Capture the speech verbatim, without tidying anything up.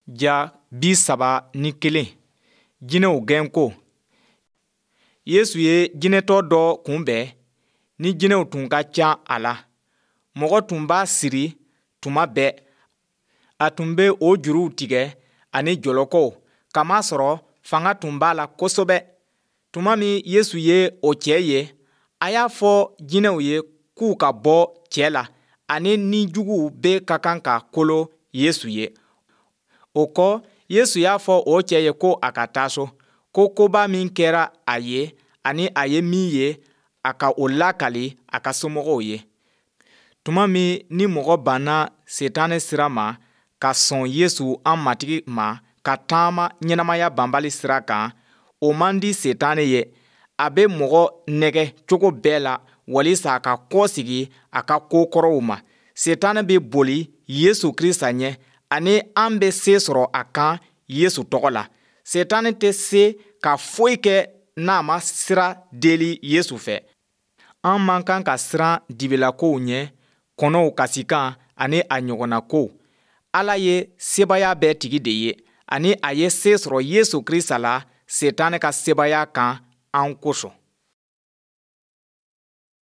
Ja bi saba ni kelen, jinɛw gɛnko. Yesu ye jinɛtɔ dɔ kunbɛn ni jinɛw tun ka ca a la. Mɔgɔ tun b'a siri tuma bɛɛ. A tun bɛ o juruw tigɛ ani jɔlɔkɔw, kamasɔrɔ fanga tun b'a la kosɛbɛ. Tuma min Yesu ye o cɛ ye, a y'a fɔ jinɛw ye k'u ka bɔ cɛ la ani ni juguw bɛɛ ka kan ka kolo Yesu ye. O kɔ, Yesu y'a fɔ o cɛ ye ko a ka taa so, ko koba min kɛra a ye ani a ye min ye, a ka o lakali a ka somɔgɔw ye. Tuma min ni mɔgɔ banna Setanɛ sira ma ka sɔn Yesu an Matigi ma ka taama ɲɛnamaya banbali sira kan, o man di Setanɛ ye. A bɛ mɔgɔ nɛgɛ cogo bɛɛ la walisa a ka kɔsegi a ka ko kɔrɔw ma. Setanɛ bɛ boli Yesu Krista ɲɛ ani an bɛ se sɔrɔ a kan Yesu tɔgɔ la. Setanɛ tɛ se ka foyi kɛ n'a ma sira deli Yesu fɛ. An man kan ka siran dibilakow ɲɛ, kɔnɔw kasikan ani a ɲɔgɔnna kow. Ala ye sebaaya bɛɛ tigi de ye ani a ye se sɔrɔ Yesu Krista la Setanɛ ka sebaaya kan an kosɔn.